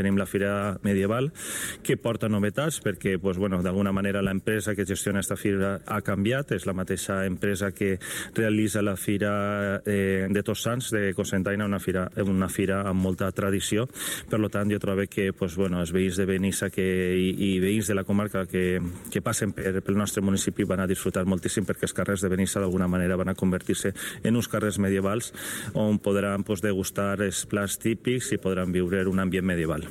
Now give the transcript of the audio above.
tenim la Fira Medieval, que porta novetats perquè d'alguna manera l'empresa que gestiona aquesta fira ha canviat, és la mateixa empresa que realitza la Fira de Tots Sants de Cocentaina, una fira amb molta tradició. Per tant, jo trobo que els veïns de Benissa i veïns de la comarca que passen pel nostre municipi van a disfrutar moltíssim, perquè els carrers de Benissa d'alguna manera van a convertir-se en uns carrers medievals on podran degustar els plats típics i podran viure un ambient medieval.